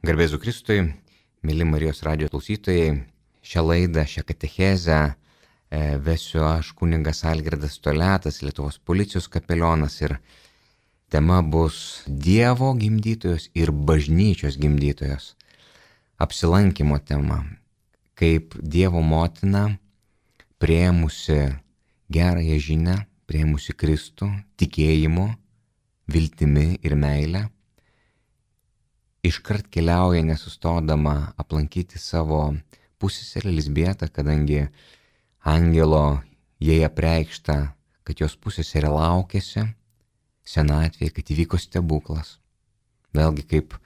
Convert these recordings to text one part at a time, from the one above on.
Garbėzu Kristui, mėly Marijos radijo klausytojai, šią laidą, šią katechezę vesiu aš kunigas Algirdas Toliatas, Lietuvos policijos kapelionas, ir tema bus Dievo gimdytojos ir bažnyčios gimdytojos apsilankimo tema, kaip Dievo motina priėmusi gerąją žinią, priėmusi Kristų tikėjimu, viltimi ir meilę, iškart keliauja nesustodama aplankyti savo pusseserę Elzbietą, kadangi angelo jai apreikšta, kad jos pusseserė laukėsi senatvėje, kad įvyko stebuklas. Vėlgi kaip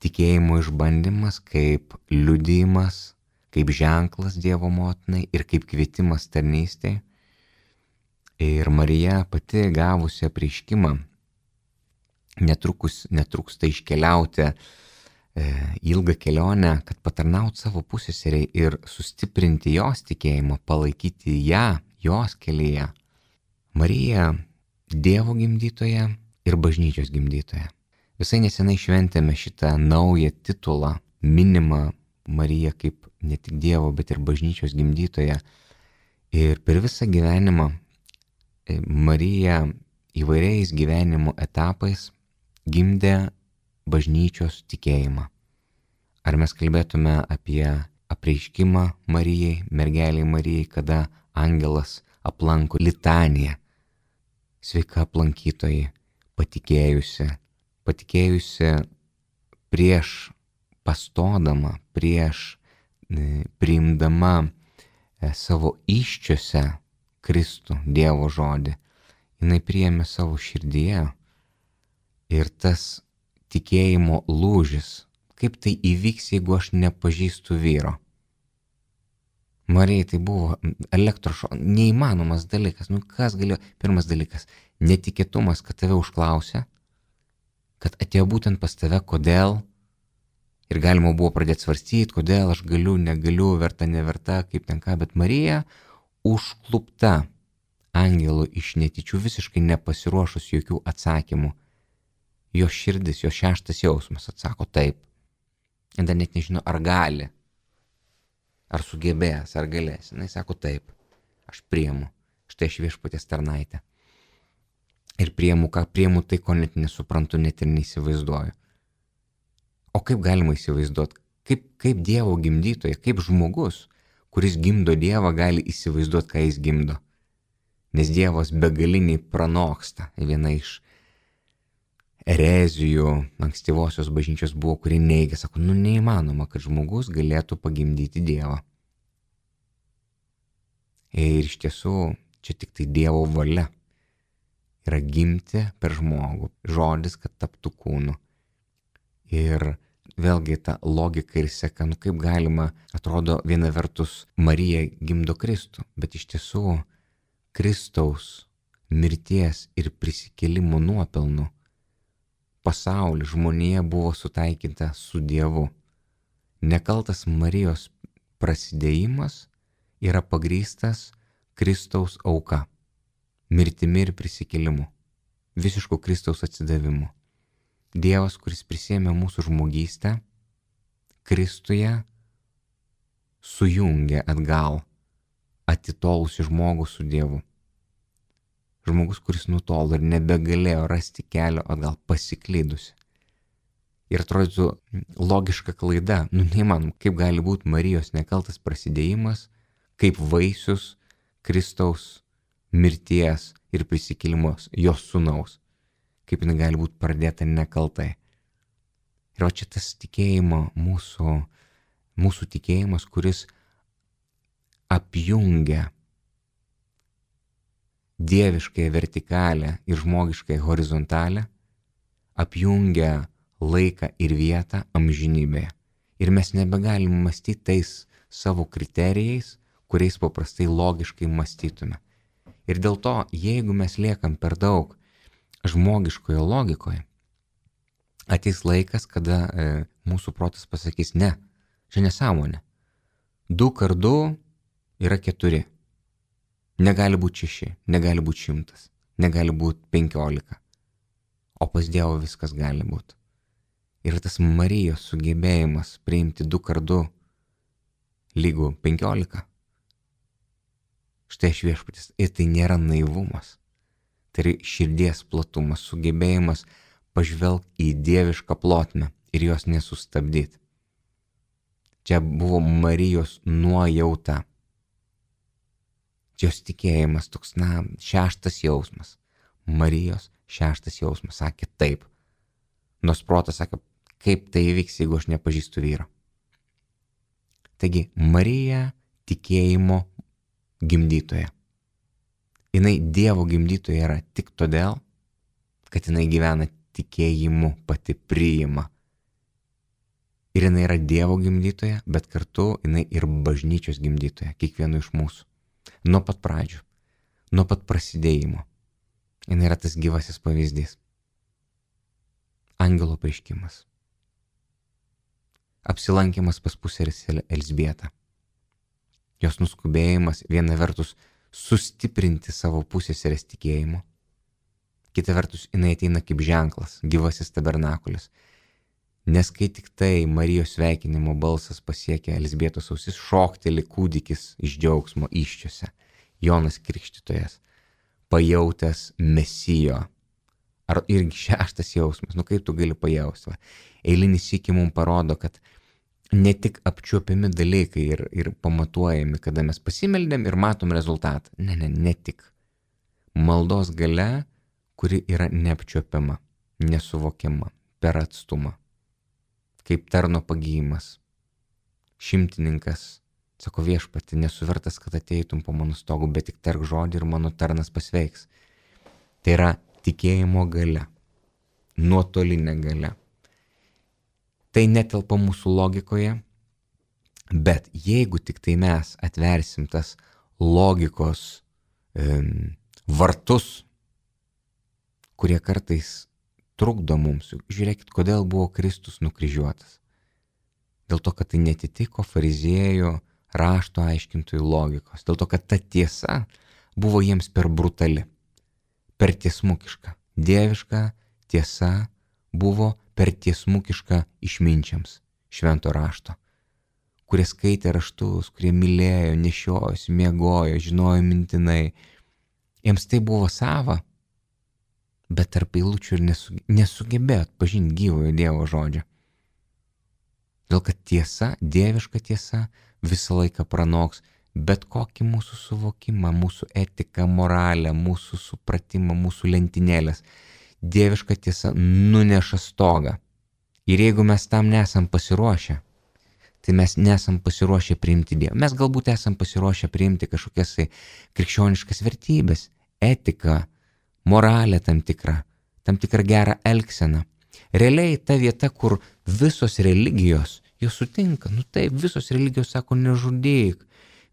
tikėjimo išbandymas, kaip liudijimas, kaip ženklas Dievo motinai ir kaip kvietimas tarnystei. Ir Marija pati gavusi apreiškimą netrūksta iškeliauti ilgą kelionę, kad patarnauti savo pusseseriai ir sustiprinti jos tikėjimą, palaikyti ją, jos kelyje. Marija Dievo gimdytoja ir bažnyčios gimdytoja. Visai nesenai šventėme šitą naują titulą, minimą Mariją kaip ne tik Dievo, bet ir bažnyčios gimdytoja. Ir per visą gyvenimą Marija įvairiais gyvenimo etapais gimdė bažnyčios tikėjimą. Ar mes kalbėtume apie apreiškimą Marijai, mergeliai Marijai, kada angelas aplanko litaniją. Sveika aplankytojai, patikėjusi prieš pastodama, prieš priimdama savo įsčiose Kristų, Dievo žodį. Jinai priėmė savo širdyje. Ir tas tikėjimo lūžis, kaip tai įvyks, jeigu aš nepažįstu vyro. Marijai tai buvo neįmanomas dalykas. Kas galėjo? Pirmas dalykas, netikėtumas, kad tave užklausė, kad atėjo būtent pas tave, kodėl. Ir galima buvo pradėti svarstyti, kodėl aš galiu, negaliu, verta, neverta, kaip ten ką. Bet Marija užklupta angelų iš netyčių, visiškai nepasiruošus jokių atsakymų. Jo širdis, jo šeštas jausmas atsako taip. Ir dar net nežino, ar gali, ar sugebės, ar galės. Jis sako taip, aš priimu. Štai aš viešpaties tarnaitė. Ir priimu, ką priimu, tai ko net nesuprantu, net ir neįsivaizduoju. O kaip galima įsivaizduoti? Kaip Dievo gimdytoja, kaip žmogus, kuris gimdo Dievą, gali įsivaizduoti, ką jis gimdo? Nes Dievas begaliniai pranoksta. Viena iš erezijų ankstyvosios bažnyčios buvo, kurie neigia, sako, neįmanoma, kad žmogus galėtų pagimdyti Dievą. Ir iš tiesų, čia tik tai Dievo valia yra gimti per žmogų, žodis, kad taptų kūnu. Ir vėlgi ta logika ir seka, kaip galima, atrodo, viena vertus Marija gimdo Kristų, bet iš tiesų Kristaus mirties ir prisikėlimo nuopelnų pasaulį, žmonija buvo sutaikinta su Dievu. Nekaltas Marijos prasidėjimas yra pagrįstas Kristaus auka, mirtimi ir prisikėlimu, visišku Kristaus atsidavimu. Dievas, kuris prisėmė mūsų žmogystę, Kristuje sujungė atgal atitolusi žmogų su Dievu. Žmogus, kuris nutolo ir nebegalėjo rasti kelio atgal, pasiklydusi. Ir atrodytų logiška klaida, neįmanom, kaip gali būti Marijos nekaltas prasidėjimas, kaip vaisius Kristaus mirties ir prisikėlimos, jos sūnaus. Kaip jinai gali būti pradėta nekaltai. Ir čia tas tikėjimo, mūsų tikėjimas, kuris apjungia dieviškąją vertikalę ir žmogiškąją horizontalę, apjungia laiką ir vietą amžinybėje. Ir mes nebegalim mąstyti tais savo kriterijais, kuriais paprastai logiškai mąstytume. Ir dėl to, jeigu mes liekam per daug žmogiškoje logikoje, ateis laikas, kada mūsų protas pasakys, ne, čia nesąmonė. 2 × 2 yra 4. Negali būti 6, negali būti 100, negali būti 15. O pas Dievą viskas gali būti. Ir tas Marijos sugebėjimas priimti 2x2 lygų 15. Štai aš viešpatis. Ir tai nėra naivumas. Tai yra širdies platumas, sugebėjimas pažvelgti į dievišką plotmę ir jos nesustabdyti. Čia buvo Marijos nuojauta. Jos tikėjimas toks, 6 jausmas. Marijos 6 jausmas sakė taip. Nors protas sakė, kaip tai įvyks, jeigu aš nepažįstu vyro. Taigi, Marija tikėjimo gimdytoja. Jinai Dievo gimdytoja yra tik todėl, kad jinai gyvena tikėjimu, pati priima. Ir jinai yra Dievo gimdytoja, bet kartu jinai ir bažnyčios gimdytoja, kiekvienu iš mūsų. Nuo pat pradžių, nuo pat prasidėjimo. Jinai yra tas gyvasis pavyzdys. Angelo apreiškimas. Apsilankimas pas pusseserę Elzbietą. Jos nuskubėjimas viena vertus sustiprinti savo pusseserės tikėjimo. Kita vertus, jinai ateina kaip ženklas, gyvasis tabernakulis. Nes kai tik tai Marijos sveikinimo balsas pasiekia Elzbietos ausis, šokteli kūdikis iš džiaugsmo įsčiose. Jonas Krikštytojas, pajautęs Mesijo. Ar irgi 6 jausmas, kaip tu gali pajausti? Eilinį sykį mums parodo, kad ne tik apčiuopiami dalykai ir pamatuojami, kada mes pasimeldėm ir matom rezultatą. Ne tik. Maldos galia, kuri yra neapčiuopiama, nesuvokiama, per atstumą. Kaip tarno pagyjimas. Šimtininkas sako, viešpati, nesu vertas, kad ateitum po mano stogu, bet tik tark žodį ir mano tarnas pasveiks. Tai yra tikėjimo galia, nuotolinė galia. Tai netelpa mūsų logikoje, bet jeigu tik tai mes atversim tas logikos vartus, kurie kartais trukdo mums. Žiūrėkit, kodėl buvo Kristus nukryžiuotas. Dėl to, kad tai netitiko fariziejų rašto aiškintojų logikos. Dėl to, kad ta tiesa buvo jiems per brutali, per tiesmukiška. Dieviška tiesa buvo per tiesmukiška išminčiams švento rašto, kurie skaitė raštus, kurie mylėjo, nešiojosi, miegojo, žinojo mintinai. Jiems tai buvo sava, bet tarp eilučių ir nesugebėjo atpažinti gyvojo Dievo žodžio. Dėl kad tiesa, dieviška tiesa visą laiką pranoks bet kokį mūsų suvokimą, mūsų etiką, moralę, mūsų supratimą, mūsų lentynėlės. Dieviška tiesa nuneša stogą. Ir jeigu mes tam nesam pasiruošę, tai mes nesam pasiruošę priimti Dievą. Mes galbūt esam pasiruošę priimti kažkokias krikščioniškas vertybės, etiką, moralę tam tikrą gerą elgseną. Realiai ta vieta, kur visos religijos, jos sutinka, taip, visos religijos sako nežudyk,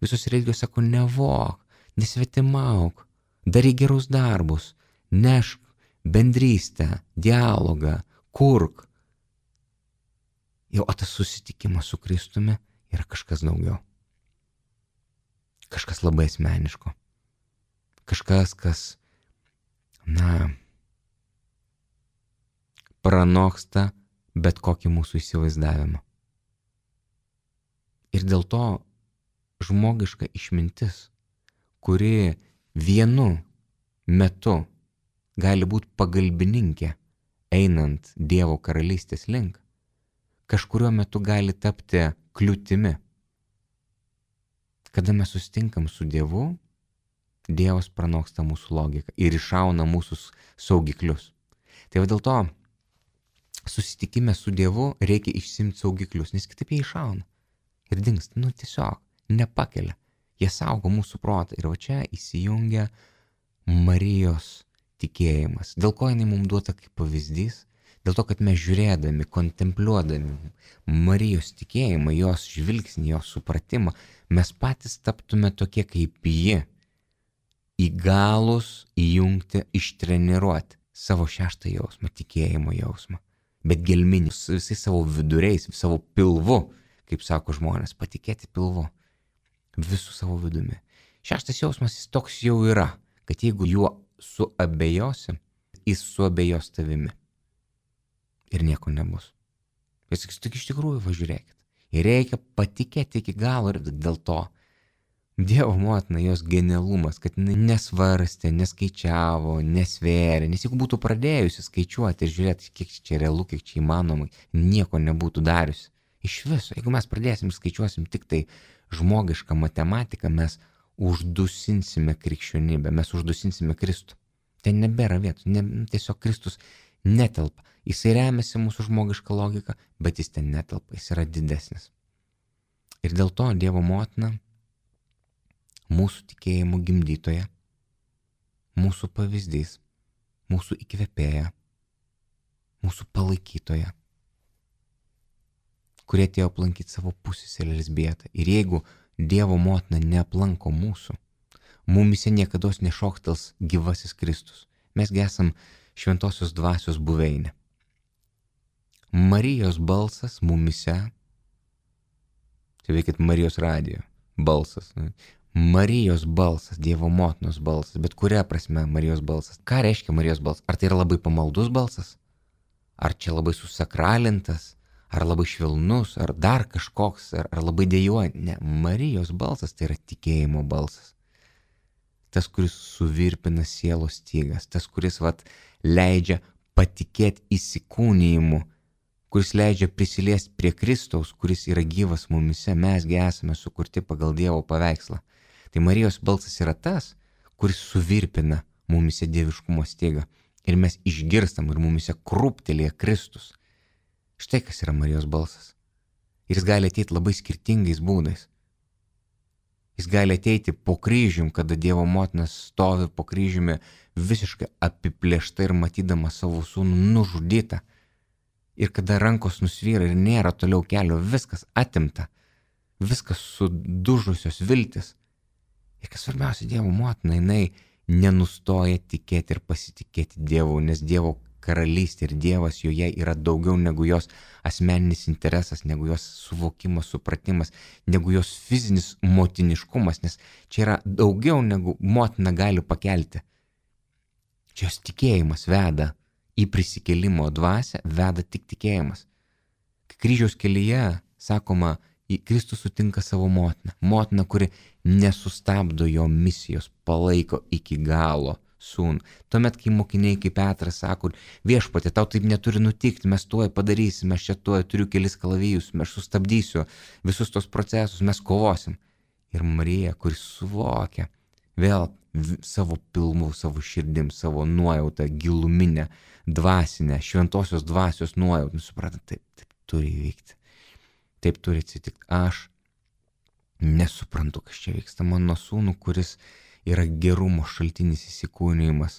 visos religijos sako nevok, nesvetimauk, daryk gerus darbus, nešk bendrystę, dialogą, kurk. Jau tas susitikimas su Kristumi yra kažkas daugiau. Kažkas labai asmeniško. Kažkas, kas pranoksta bet kokį mūsų įsivaizdavimą. Ir dėl to žmogiška išmintis, kuri vienu metu gali būti pagalbininkė einant Dievo karalystės link, kažkuriuo metu gali tapti kliūtimi. Kada mes susitinkam su Dievu, Dievas pranoksta mūsų logiką ir iššauna mūsų saugiklius. Tai dėl to susitikime su Dievu reikia išsimti saugiklius, nes kitaip jie iššauna ir dingsta, tiesiog nepakelia. Jie saugo mūsų protą ir čia įsijungia Marijos tikėjimas. Dėl ko jinai mums duota kaip pavyzdys? Dėl to, kad mes žiūrėdami, kontempliuodami Marijos tikėjimą, jos žvilgsnį, jos supratimą, mes patys taptume tokie kaip ji, įgalūs įjungti, ištreniruoti savo 6 jausmą, tikėjimo jausmą, bet gelminį, su visais savo viduriais, savo pilvu, kaip sako žmonės, patikėti pilvu, visų savo vidumi. 6 jausmas jis toks jau yra, kad jeigu juo suabejosi, jis suabejos tavimi ir nieko nebus. Jis sakys, tik iš tikrųjų važiuokit. Ir reikia patikėti iki galo ir dėl to Dievo motina, jos genialumas, kad jinai nesvarstė, neskaičiavo, nesvėrė, nes jeigu būtų pradėjusi skaičiuoti ir žiūrėti, kiek čia realu, kiek čia įmanoma, nieko nebūtų dariusi. Iš viso, jeigu mes pradėsim ir skaičiuosim tik tai žmogišką matematiką, mes uždusinsime krikščionybę, mes uždusinsime Kristų. Ten nebėra vietos, tiesiog Kristus netelpa. Jisai remiasi mūsų žmogišką logiką, bet jis ten netelpa, jis yra didesnis. Ir dėl to Dievo motina, mūsų tikėjimo gimdytoja, mūsų pavyzdys, mūsų įkvėpėja, mūsų palaikytoja, kurie atėjo aplankyti savo pusseserę Elzbietą. Ir jeigu Dievo motina neaplanko mūsų, mumise niekados nešoktels gyvasis Kristus. Mesgi esam šventosios dvasios buveinė. Marijos balsas mumise, tai veikit Marijos radijo balsas, Marijos balsas, Dievo motinos balsas, bet kuria prasme Marijos balsas. Ką reiškia Marijos balsas? Ar tai yra labai pamaldus balsas? Ar čia labai susakralintas? Ar labai švelnus? Ar dar kažkoks? Ar labai dejuojantis? Ne, Marijos balsas tai yra tikėjimo balsas. Tas, kuris suvirpina sielos stygas, tas, kuris leidžia patikėti įsikūnijimu, kuris leidžia prisiliesti prie Kristaus, kuris yra gyvas mumise, mesgi esame sukurti pagal Dievo paveikslą. Tai Marijos balsas yra tas, kuris suvirpina mumise dieviškumo stygą ir mes išgirstam ir mumise krūptelėja Kristus. Štai kas yra Marijos balsas. Ir jis gali ateiti labai skirtingais būdais. Jis gali ateiti po kryžium, kada Dievo motina stovi po kryžiumi visiškai apiplėšta ir matydama savo sūnų nužudytą. Ir kada rankos nusvyra ir nėra toliau kelio, viskas atimta, viskas sudužusios viltis. Ir kas svarbiausia, Dievo motina, jinai nenustoja tikėti ir pasitikėti Dievu, nes Dievo karalystė ir Dievas joje yra daugiau negu jos asmeninis interesas, negu jos suvokimas, supratimas, negu jos fizinis motiniškumas, nes čia yra daugiau negu motina gali pakelti. Čia jos tikėjimas veda į prisikėlimo dvasią, veda tik tikėjimas. Kai kryžiaus kelyje, sakoma, Kristus sutinka savo motiną. Motiną, kuri nesustabdo jo misijos, palaiko iki galo sūnų. Tuomet, kai mokiniai kaip Petras sako, viešpatie, tau taip neturi nutikti, mes tuoj padarysime, aš čia tuoj turiu kelis kalavijus, aš sustabdysiu visus tos procesus, mes kovosim. Ir Marija, kuris suvokia vėl savo pilmų, savo širdim, savo nuojautą, giluminę, dvasinę, šventosios dvasios nuojautą, supranta, taip turi įvykti. Taip turi atsitikti. Aš nesuprantu, kas čia vyksta. Mano sūnų, kuris yra gerumo šaltinis įsikūnijimas,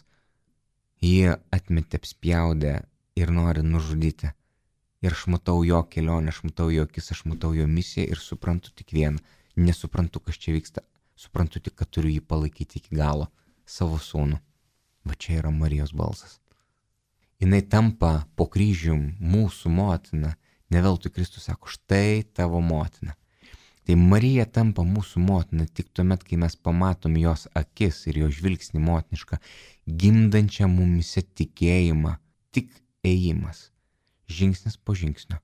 jie atmetė, apspjaudė ir nori nužudyti. Ir aš matau jo kelionę, aš matau jo akis, aš matau jo misiją ir suprantu tik vieną. Nesuprantu, kas čia vyksta. Suprantu tik, kad turiu jį palaikyti iki galo. Savo sūnų. Va čia yra Marijos balsas. Jinai tampa po kryžium mūsų motina. Ne veltui Kristus sako, štai tavo motina. Tai Marija tampa mūsų motina tik tuomet, kai mes pamatom jos akis ir jo žvilgsnį motinišką, gimdančią mumise tikėjimą, tik ėjimas, žingsnis po žingsnio,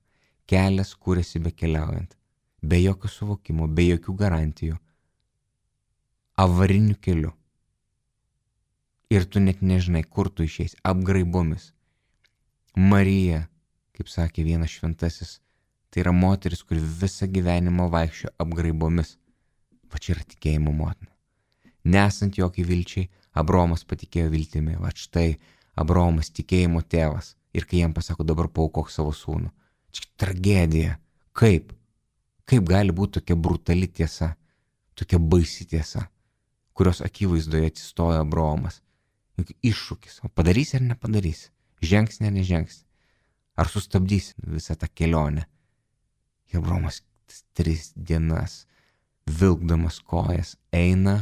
kelias kūrėsi bekeliaujant, be jokio suvokimo, be jokių garantijų, avariniu keliu. Ir tu net nežinai, kur tu išeisi, apgraibomis. Marija, kaip sakė vienas šventasis, tai yra moteris, kuri visą gyvenimą vaikščio apgraibomis. Va čia yra tikėjimo motina. Nesant jokiai vilčiai, Abraomas patikėjo viltimi. Va štai Abraomas tikėjimo tėvas. Ir kai jam pasako, dabar paaukok savo sūnų. Čia tragedija. Kaip? Kaip gali būti tokia brutali tiesa, tokia baisi tiesa, kurios akivaizdoje atsistojo Abraomas? Juk iššūkis. O padarysi ar nepadarysi? Žengsi ar nežengsi? Ar sustabdysi visą tą kelionę? Ir Abraomas 3 dienas, vilkdamas kojas, eina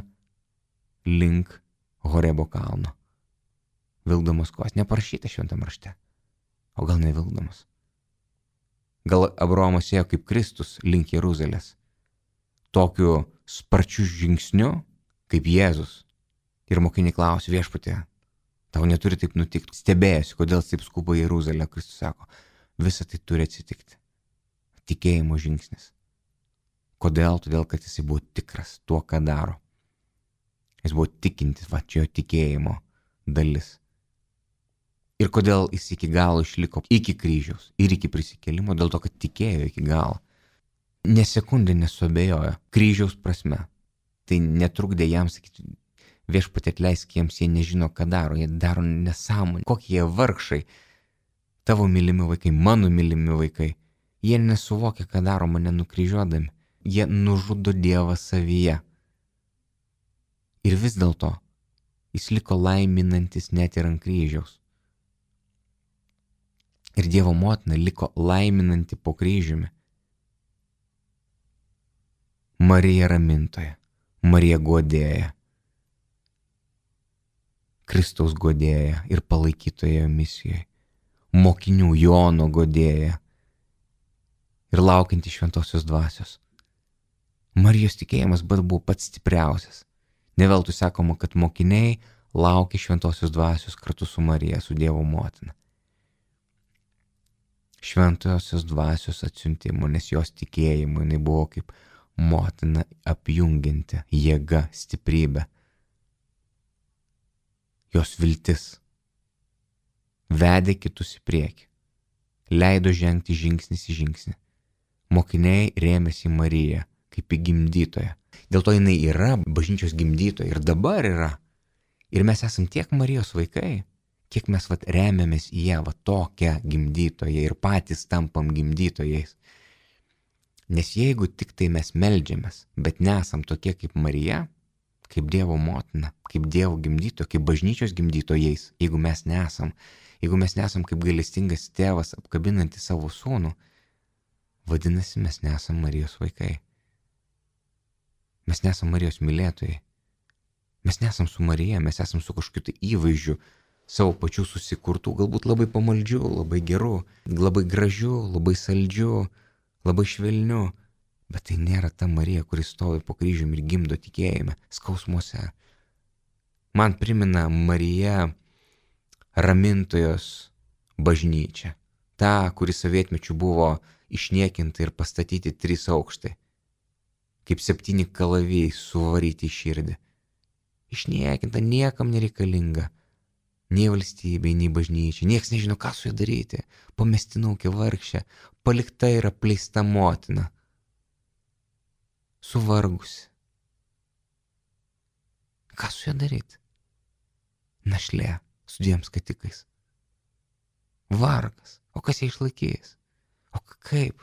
link Horebo kalno. Vilkdamas kojas. Neparašyta šventam rašte. O gal nevilkdamas? Gal Abraomas ėjo kaip Kristus link Jeruzalės. Tokiu sparčiu žingsniu, kaip Jėzus. Ir mokiniai klausė, viešpatie, tau neturi taip nutikti. Stebėjosi, kodėl taip skuba Jeruzalė. Kristus sako, visa tai turi atsitikti. tikėjimo žingsnis. Kodėl? Todėl, kad jisai buvo tikras tuo, ką daro. Jis buvo tikintis, čia jo tikėjimo dalis. Ir kodėl jis iki galo išliko iki kryžiaus ir iki prisikėlimo, dėl to, kad tikėjo iki galo. Ne sekundė nesuabejojo kryžiaus prasme. Tai netrukdė jam sakyti, viešpatie atleisk jiems, jie nežino, ką daro, jie daro nesąmonę, kokie jie vargšai, tavo mylimi vaikai, mano mylimi vaikai. Jie nesuvokia, ką daro mane nukryžiuodami. Jie nužudo Dievą savyje. Ir vis dėlto jis liko laiminantis net ir ant kryžiaus. Ir Dievo motina liko laiminanti po kryžiumi. Marija ramintoja, Marija guodėja, Kristaus guodėja ir palaikytoja misijoje, mokinių Jono guodėja ir laukianti šventosios dvasios. Marijos tikėjimas buvo pats stipriausias. Ne veltui sakoma, kad mokiniai laukė šventosios dvasios kartu su Marija, su Dievo motina. Šventosios dvasios atsiuntimo, nes jos tikėjimu jinai buvo kaip motina apjungianti jėga, stiprybė. Jos viltis vedė kitus į priekį, leido žengti žingsnis į žingsnį. Mokiniai rėmėsi į Mariją kaip į gimdytoją. Dėl to jinai yra bažnyčios gimdytoja ir dabar yra. Ir mes esam tiek Marijos vaikai, kiek mes remiamės į ją, tokią gimdytoją ir patys tampam gimdytojais. Nes jeigu tik tai mes meldžiamės, bet nesam tokie kaip Marija, kaip Dievo motina, kaip Dievo gimdytoja, kaip bažnyčios gimdytojais, jeigu mes nesam kaip gailestingas tėvas apkabinantis savo sūnų, vadinasi, mes nesam Marijos vaikai. Mes nesam Marijos mylėtojai. Mes nesam su Marija, mes esam su kažkokiu tai įvaizdžiu savo pačių susikurtų, galbūt labai pamaldžių, labai gerų, labai gražių, labai saldžių, labai švelnių. Bet tai nėra ta Marija, kuris stovi po kryžiumi ir gimdo tikėjime, skausmuose. Man primena Marija ramintojos bažnyčia. Ta, kuri sovietmečiu buvo išniekinta ir pastatyti 3 aukštai. Kaip 7 kalavijai suvaryti į širdį. Išniekinta, niekam nereikalinga. Nei valstybei, nei bažnyčiai. Niekas nežino, ką su ja daryti. Pamestinukė vargšė, palikta ir apleista motina. Suvargusi. Ką su ja daryti? Našlė su 2 skatikais. Vargas. O kas ją išlaikys? O kaip?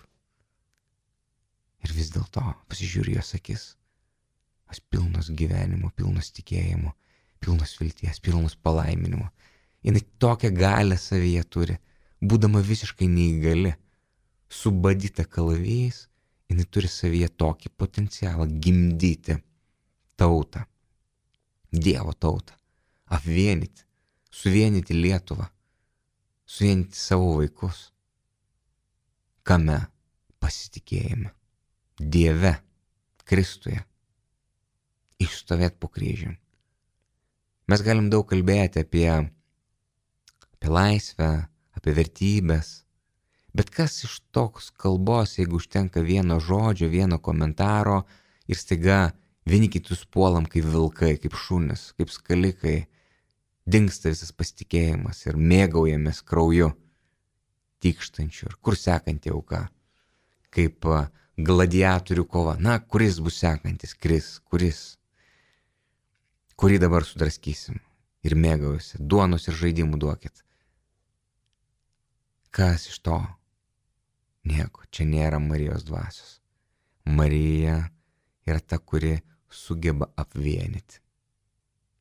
Ir vis dėlto pasižiūri jos akis. Jos pilnos gyvenimo, pilnos tikėjimo, pilnos vilties, pilnos palaiminimo. Jinai tokią galią savyje turi, būdama visiškai neįgali, subadyta kalavijais, jinai turi savyje tokį potencialą gimdyti tautą, Dievo tautą, apvienyti, suvienyti Lietuvą, suvienyti savo vaikus. Kame? Pasitikėjime. Dieve, Kristuje. Išstovėti po kryžium. Mes galim daug kalbėti apie laisvę, apie vertybės, bet kas iš toks kalbos, jeigu užtenka vieno žodžio, vieno komentaro ir staiga vieni kitus puolam kaip vilkai, kaip šunys, kaip skalikai, dingsta visas pasitikėjimas ir mėgaujamės krauju tykštančiu. Ir kur sekanti auka? Kaip gladiatorių kova. Na, kuris bus sekantis? Kuris? Kurį dabar sudraskysim ir mėgaujasi. Duonos ir žaidimų duokit. Kas iš to? Nieko, čia nėra Marijos dvasios. Marija yra ta, kuri sugeba apvienyti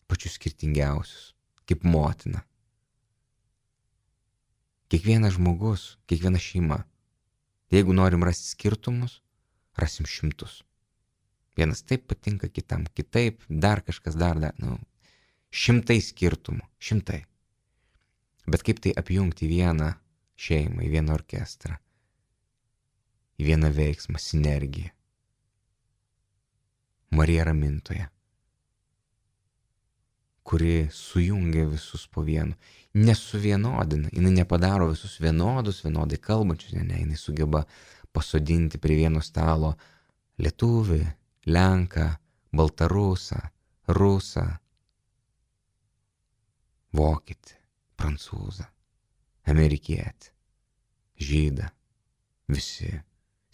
pačius skirtingiausius, kaip motina. Kiekvienas žmogus, kiekviena šeima. Jeigu norim rasti skirtumus, rasim 100. Vienas taip patinka, kitam kitaip, dar kažkas dar. 100 skirtumų, 100. Bet kaip tai apjungti į vieną šeimą, į vieną orkestrą, į vieną veiksmą, sinergiją? Marija ramintoja, kuri sujungia visus po vienu, nesuvienodina, jinai nepadaro visus vienodus, vienodai kalbančius, ne, jinai sugeba pasodinti prie vieno stalo lietuvį, lenką, baltarusą, rusą, vokietį, prancūzą, amerikietį, žydą. Visi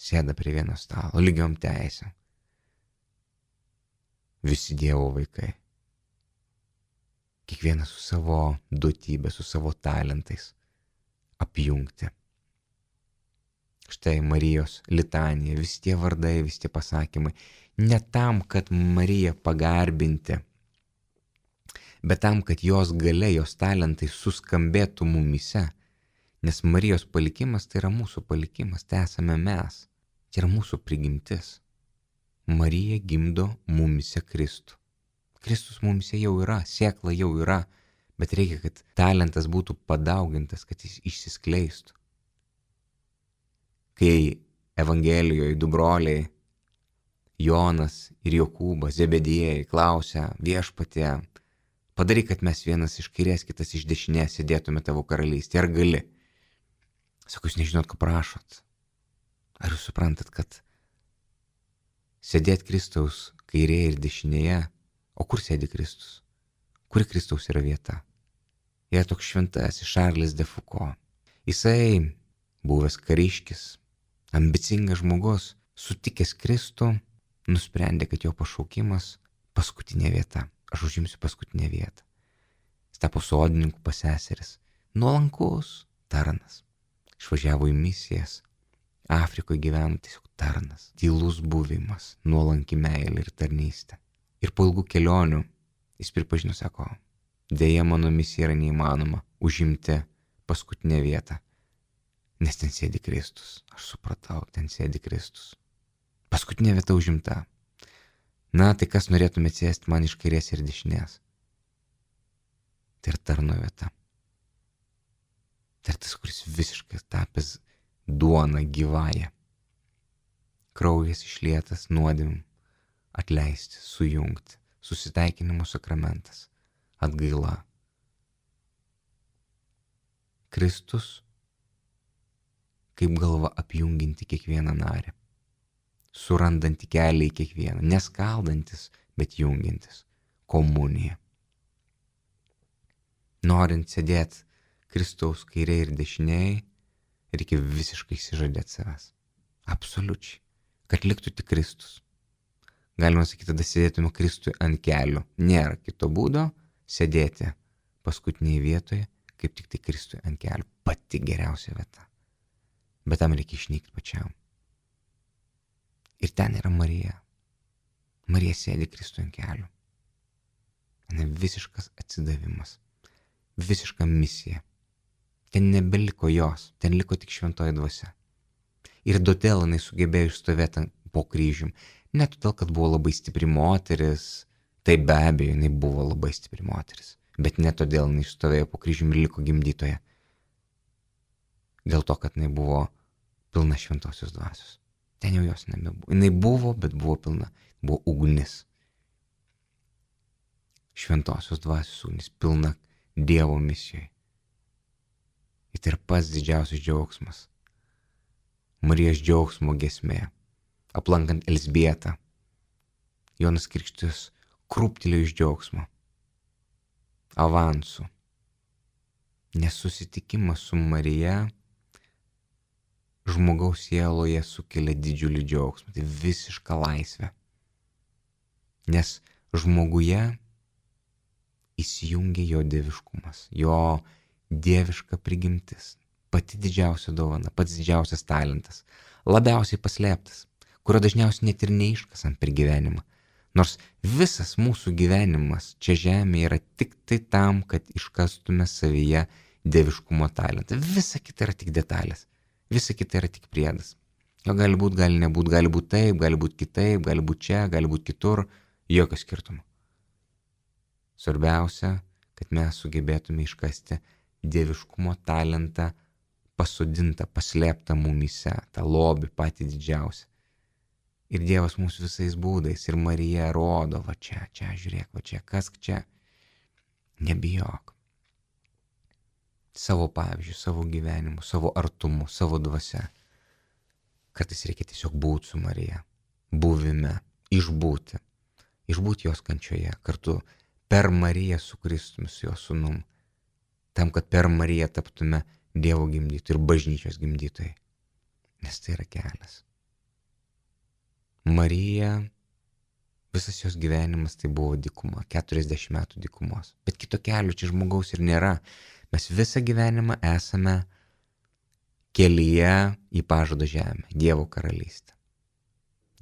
sėda prie vieno stalo, lygiom teisėm. Visi Dievo vaikai. Kiekvienas su savo duotybė, su savo talentais apjungti. Štai Marijos litanija, visi tie vardai, visi tie pasakymai. Ne tam, kad Mariją pagarbinti, bet tam, kad jos galia, jos talentai suskambėtų mumyse. Nes Marijos palikimas tai yra mūsų palikimas, tai esame mes. Tai yra mūsų prigimtis. Marija gimdo mumyse Kristų. Kristus mumyse jau yra, sėkla jau yra, bet reikia, kad talentas būtų padaugintas, kad jis išsiskleistų. Kai Evangelijoje du broliai, Jonas ir Jokūbas, Zebediejai, klausia Viešpatie, padaryk, kad mes vienas iš kairės, kitas iš dešinės sėdėtume tavo karalystėje. Ar gali? Sako, jūs nežinot, ko prašot. Ar jūs suprantat, kad sėdėt Kristaus kairėje ir dešinėje, o kur sėdi Kristus? Kuri Kristaus yra vieta? Yra toks šventasis Šarlis de Foucault. Jisai, buvęs kariškis, ambicingas žmogus, sutikęs Kristų, nusprendė, kad jo pašaukimas paskutinė vieta. Aš užimsiu paskutinę vietą. Jis tapo sodininku pas seseris. Nuolankus tarnas. Išvažiavo į misijas. Afrikoje gyveno tiesiog tarnas. Tylus buvimas, nuolanki meilė ir tarnystė. Ir po ilgų kelionių jis pripažino, sako, dėja mano misija yra neįmanoma užimti paskutinę vietą. Nes ten sėdi Kristus. Aš supratau, ten sėdi Kristus. Paskutinė vieta užimta. Na, tai kas norėtumėte sėsti man iš kairės ir dešinės? Tai yra tarno vieta. Tai yra tas, kuris visiškai tapęs duona gyvąją. Kraujas išlietas nuodėmėm, atleisti, sujungti, susitaikinimo sakramentas, atgaila. Kristus kaip galva apjunginti kiekvieną narį. Surandanti kelią į kiekvieną, neskaldantis, bet jungintis. Komunija. Norint sėdėti Kristaus kairėje ir dešinėje, reikia visiškai išsižadėti savęs. Absoliučiai. Kad liktų tik Kristus. Galima sakyti, tada sėdėtume Kristui ant kelių. Nėra kito būdo sėdėti paskutinėje vietoje, kaip tik tai Kristui ant kelių. Pati geriausia vieta. Bet tam reikia išnykti pačiam. Ir ten yra Marija. Marija sėdi Kristui ant kelių. Visiškas atsidavimas. Visiška misija. Ten nebeliko jos. Ten liko tik šventoji dvasia. Ir todėl jinai sugebėjo išstovėti po kryžium. Ne todėl, kad buvo labai stipri moteris. Tai be abejo, jinai buvo labai stipri moteris. Bet ne todėl jinai išstovėjo po kryžium ir liko gimdytoje. Dėl to, kad jinai buvo pilna šventosios dvasios. Ten jau jos nebebuvo. Jinai buvo, bet buvo pilna. Buvo ugnis. Šventosios dvasios ugnis. Pilna Dievo misijoje. Ir tai yra pats didžiausias džiaugsmas. Marijos džiaugsmo giesmė. Aplankant Elzbietą. Jonas Krikštytojas krūptelėjo iš džiaugsmo. Avansu. Nes susitikimas su Marija žmogaus sieloje sukelia didžiulį džiaugsmą. Tai visiška laisvė. Nes žmoguje įsijungia jo dieviškumas, jo dieviška prigimtis. Pati didžiausia dovana, pats didžiausias talentas. Labiausiai paslėptas, kurio dažniausiai net ir neiškasam per gyvenimą. Nors visas mūsų gyvenimas čia žemėje yra tik tai tam, kad iškastume savyje dieviškumo talentą. Visa kita yra tik detalės. Visa kita yra tik priedas. Jo gali būt, gali nebūt, gali būt taip, gali būt kitaip, gali būt čia, gali būt kitur. Jokio skirtumo. Svarbiausia, kad mes sugebėtume iškasti dieviškumo talentą pasodintą, paslėptą mumyse, tą lobį patį didžiausią. Ir Dievas mūsų visais būdais, ir Marija rodo, va čia, žiūrėk, va čia, kas čia. Nebijok. Savo pavyzdžių, savo gyvenimu, savo artumu, savo dvasia. Kartais reikia tiesiog būti su Marija, buvime, išbūti jos kančioje, kartu per Mariją su Kristumi, su jo sūnum, tam, kad per Mariją taptume Dievo gimdytojai ir bažnyčios gimdytojai, nes tai yra kelias. Marija, visas jos gyvenimas tai buvo dykuma, 40 metų dykumos, bet kito kelio čia žmogaus ir nėra. Mes visą gyvenimą esame kelyje į pažado žemę, Dievo karalystę.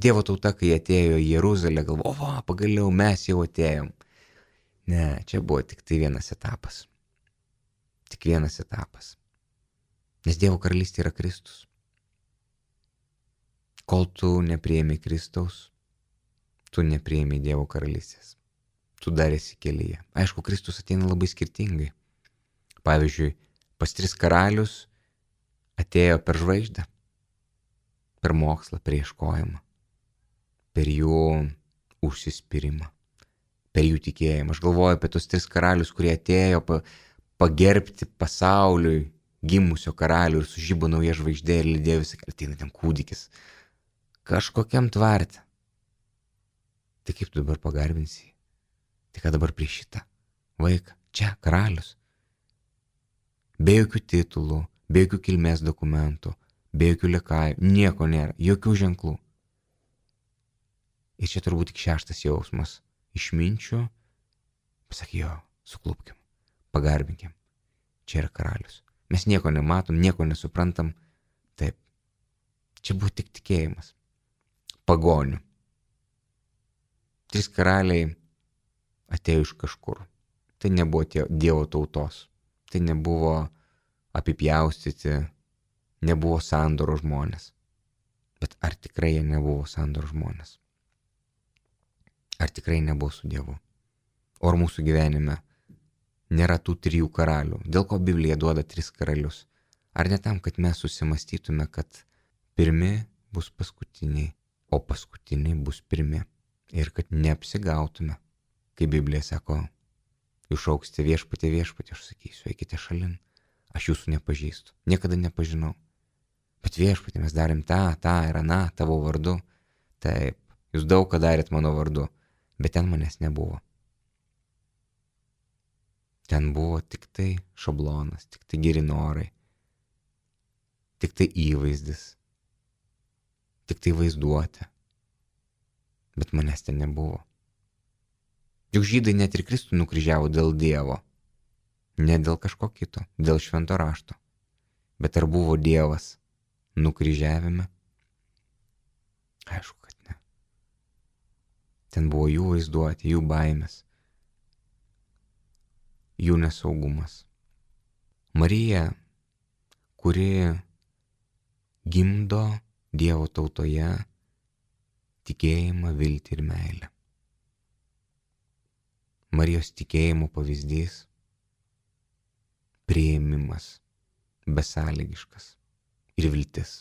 Dievo tauta, kai atėjo į Jeruzalę, galvojo, pagaliau mes jau atėjom. Ne, čia buvo tik tai vienas etapas. Tik vienas etapas. Nes Dievo karalystė yra Kristus. Kol tu nepriėmė Kristaus, tu nepriėmė Dievo karalystės. Tu dar esi kelyje. Aišku, Kristus ateina labai skirtingai. Pavyzdžiui, pas 3 karalius atėjo per žvaigždę, per mokslą, per ieškojimą, per jų užsispyrimą, per jų tikėjimą. Aš galvoju apie tos 3 karalius, kurie atėjo pagerbti pasauliui gimusio karalių ir sužibo nauja žvaigždė ir lydėjo visą kelią. Ateina ten kūdikis, kažkokiam tvarte. Tai kaip tu dabar pagarbinsi? Tai ką dabar prieš šitą vaiką? Čia karalius. Be jokių titulų, be jokių kilmės dokumentų, be jokių lekajų, nieko nėra, jokių ženklų. Ir čia turbūt tik 6 jausmas. Išminčių, pasak jo, suklupkim, pagarbinkim. Čia yra karalius. Mes nieko nematom, nieko nesuprantam. Taip, čia buvo tik tikėjimas. Pagonių. 3 karaliai atėjo iš kažkur. Tai nebuvo Dievo tautos. Tai nebuvo apipjaustyti, nebuvo sandoro žmonės. Bet ar tikrai jie nebuvo sandoro žmonės? Ar tikrai nebuvo su Dievu? O ar mūsų gyvenime nėra tų 3 karalių? Dėl ko Biblija duoda 3 karalius? Ar ne tam, kad mes susimastytume, kad pirmi bus paskutiniai, o paskutiniai bus pirmi? Ir kad neapsigautume, kai Biblija sako, jūs šauksite viešpatie, aš sakysiu, eikite šalin, aš jūsų nepažįstu, niekada nepažinau. Bet viešpatie, mes darėm tą ir aną tavo vardu. Taip, jūs daug ką darėt mano vardu, bet ten manęs nebuvo. Ten buvo tik tai šablonas, tik tai geri norai, tik tai įvaizdis, tik tai vaizduotė. Bet manęs ten nebuvo. Juk žydai net ir Kristų nukryžiavo dėl Dievo. Ne dėl kažko kito, dėl švento rašto. Bet ar buvo Dievas nukryžiavime? Aišku, kad ne. Ten buvo jų vaizduotė, jų baimės, jų nesaugumas. Marija, kuri gimdo Dievo tautoje tikėjimą, viltį ir meilę. Marijos tikėjimo pavyzdys – priėmimas, besąlygiškas ir viltis.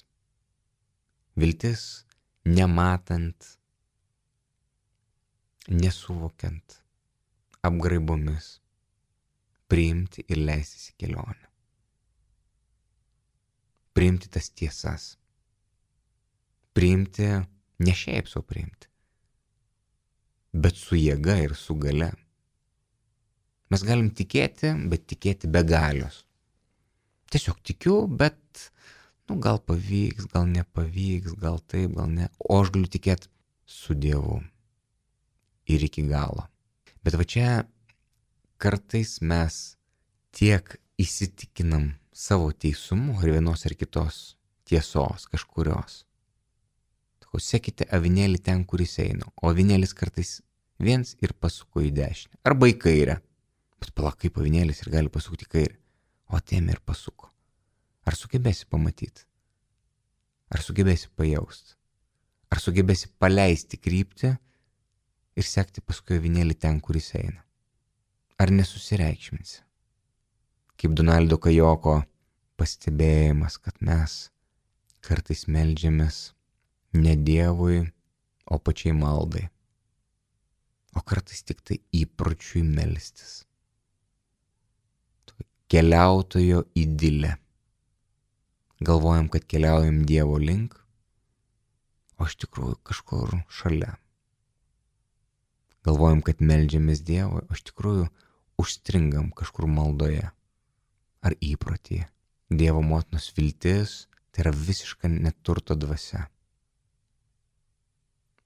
Viltis nematant, nesuvokiant, apgraibomis, priimti ir leistis į kelionę. Priimti tas tiesas. Priimti, ne šiaip sau priimti, bet su jėga ir su galia. Mes galim tikėti, bet tikėti be galios. Tiesiog tikiu, bet gal pavyks, gal nepavyks, gal taip, gal ne. O aš galiu tikėti su Dievu ir iki galo. Bet va čia kartais mes tiek įsitikinam savo teisumu ar vienos ar kitos tiesos kažkurios. Sekite avinėlį ten, kuris eina, o avinėlis kartais viens ir pasuko į dešinę arba į kairę. Bet palauk, kaip avinėlis ir gali pasukti į kairę, o atėmė ir pasuko. Ar sugebėsi pamatyti? Ar sugebėsi pajausti? Ar sugebėsi paleisti kryptį ir sekti paskui avinėlį ten, kuris eina? Ar nesusireikšminsi? Kaip Donaldo Kajoko pastebėjimas, kad mes kartais meldžiamės ne Dievui, o pačiai maldai. O kartais tik tai įpročiui melstis. Keliautojo idilė. Galvojam, kad keliaujam Dievo link, iš tikrųjų kažkur šalia. Galvojam, kad meldžiamės Dievui, o iš tikrųjų užstringam kažkur maldoje ar įprotyje. Dievo motinos viltis tai yra visiška neturto dvasia.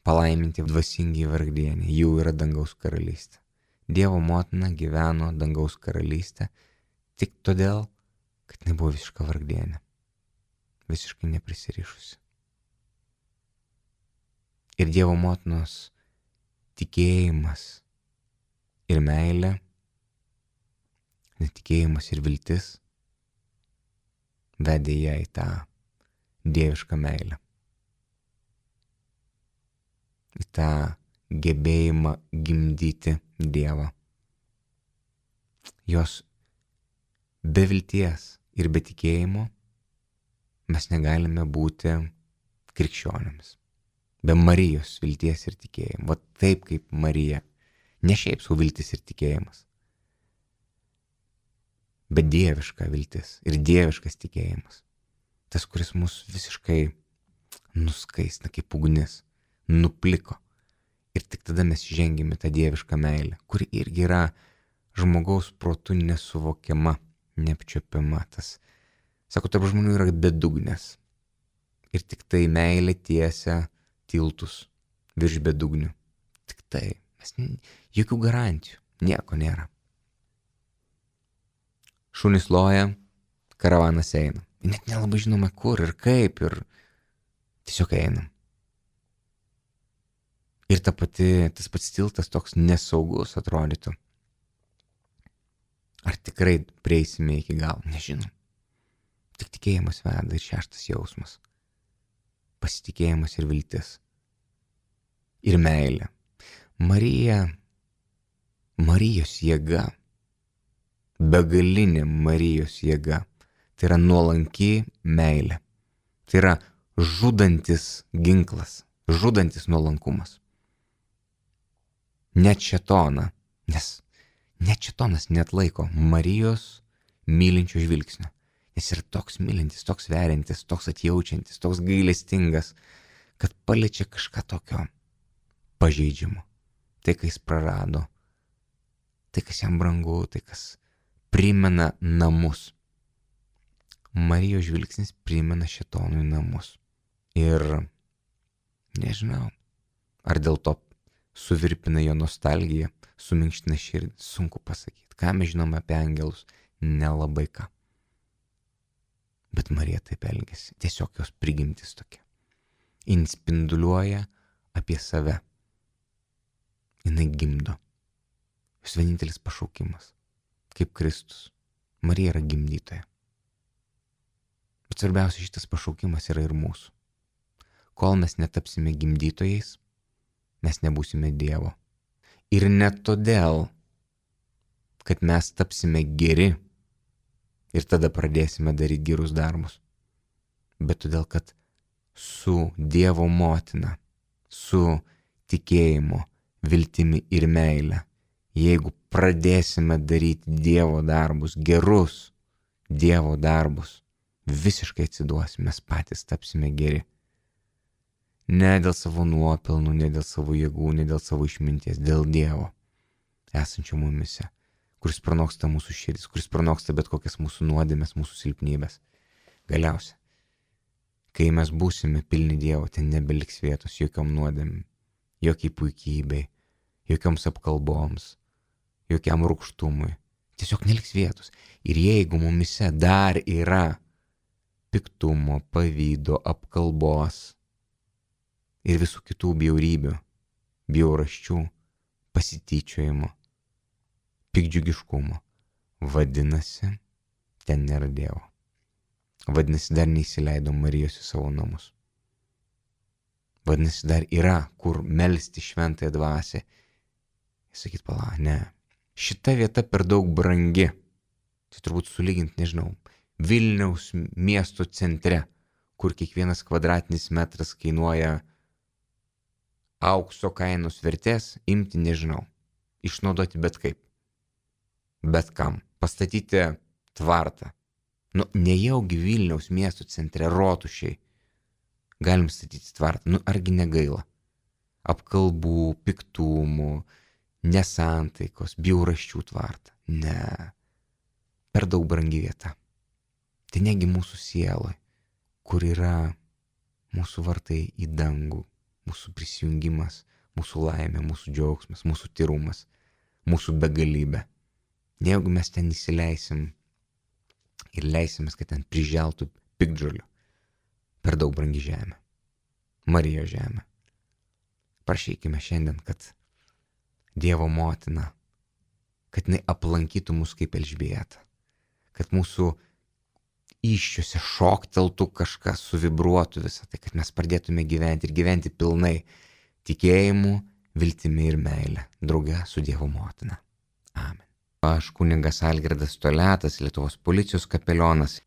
Palaiminti dvasingi vargdieniai, jų yra dangaus karalystė. Dievo motina gyveno dangaus karalystę tik todėl, kad jinai buvo visiška vargdienė, visiškai neprisirišusi. Ir Dievo motinos tikėjimas ir meilė, netikėjimas ir viltis vedė ją į tą dievišką meilę, į tą gebėjimą gimdyti Dievą. Jos be vilties ir be tikėjimo mes negalime būti krikščionėmis. Be Marijos vilties ir tikėjimo. Va taip kaip Marija. Ne šiaip sau viltis ir tikėjimas. Bet dieviška viltis ir dieviškas tikėjimas. Tas, kuris mus visiškai nuskaistina kaip ugnis, nupliko. Ir tik tada mes žengėme tą dievišką meilę, kuri irgi yra žmogaus protu nesuvokiama, neapčiuopiama. Tas, sako, tarp žmonių yra bedugnės. Ir tik tai meilė tiesia tiltus virš bedugnių. Tik tai. Jokių garantijų. Nieko nėra. Šunys loja, karavanas eina. Net nelabai žinome kur ir kaip ir tiesiog einam. Ir tas pats tiltas toks nesaugus atrodytų. Ar tikrai prieisime iki galo? Nežinom. Tik tikėjimas veda ir šeštas jausmas. Pasitikėjimas ir viltis. Ir meilė. Marijos jėga. Begalinė Marijos jėga. Tai yra nuolanki meilė. Tai yra žudantis ginklas. Žudantis nuolankumas. Net šėtoną, nes net šėtonas neatlaiko Marijos mylinčio žvilgsnio. Jis yra toks mylintis, toks veriantis, toks atjaučiantis, toks gailestingas, kad paliečia kažką tokio pažeidžiamo. Tai, ką jis prarado, tai, kas jam brangu, tai, kas primena namus. Marijos žvilgsnis primena šėtonui namus. Ir nežinau, ar dėl to suvirpina jo nostalgiją, suminkština širdį, sunku pasakyti. Ką mes žinome apie angelus? Nelabai ką. Bet Marija taip elgiasi, tiesiog jos prigimtis tokia. Jin spinduliuoja apie save. Jinai gimdo. Jos vienintelis pašaukimas, kaip Kristus. Marija yra gimdytoja. Bet svarbiausia, šitas pašaukimas yra ir mūsų. Kol mes netapsime gimdytojais, mes nebūsime Dievo. Ir ne todėl, kad mes tapsime geri ir tada pradėsime daryti gerus darbus, bet todėl, kad su Dievo motina, su tikėjimu, viltimi ir meile, jeigu pradėsime daryti Dievo darbus, gerus Dievo darbus, visiškai atsiduosime, mes patys tapsime geri. Ne dėl savo nuopelnų, ne dėl savo jėgų, ne dėl savo išminties, dėl Dievo esančio mumise, kuris pranoksta mūsų širdis, kuris pranoksta bet kokias mūsų nuodėmes, mūsų silpnybės. Galiausia, kai mes būsime pilni Dievo, ten nebeliks vietos jokiom nuodėmėm, jokiai puikybei, jokioms apkalboms, jokiam rūgštumui. Tiesiog neliks vietos. Ir jeigu mumise dar yra piktumo, pavydo, apkalbos ir visų kitų bjaurybių, bjaurasčių, pasityčiojimo, pikdžiugiškumo, vadinasi, ten nėra Dievo. Vadinasi, dar neįsileido Marijos į savo namus. Vadinasi, dar yra, kur melsti šventąją dvasią. Sakyt, pala, ne. Šita vieta per daug brangi. Tai turbūt sulygint, nežinau, Vilniaus miesto centre, kur kiekvienas kvadratinis metras kainuoja aukso kainos vertės, imti, nežinau, išnaudoti bet kaip. Bet kam. Pastatyti tvartą. Nejaugi Vilniaus miesto centre rotušėj galim statyti tvartą. Argi negaila? Apkalbų, piktumų, nesantaikos, bjaurasčių tvartą. Ne. Per daug brangi vieta. Tai negi mūsų sieloj, kur yra mūsų vartai į dangų, mūsų prisijungimas, mūsų laimė, mūsų džiaugsmas, mūsų tyrumas, mūsų begalybė. Jeigu mes ten įsileisim ir leisimės, kad ten priželtų piktžolių, per daug brangi žemė, Marijos žemė. Prašykime šiandien, kad Dievo motina, kad jinai aplankytų mus kaip Elžbieta, kad mūsų įsčiuose šokteltų kažkas, suvibruotų visą tai, kad mes pradėtume gyventi ir gyventi pilnai tikėjimu, viltimi ir meile, drauge su Dievo motina. Amen. Aš kunigas Algirdas Toliatas, Lietuvos policijos kapelionas.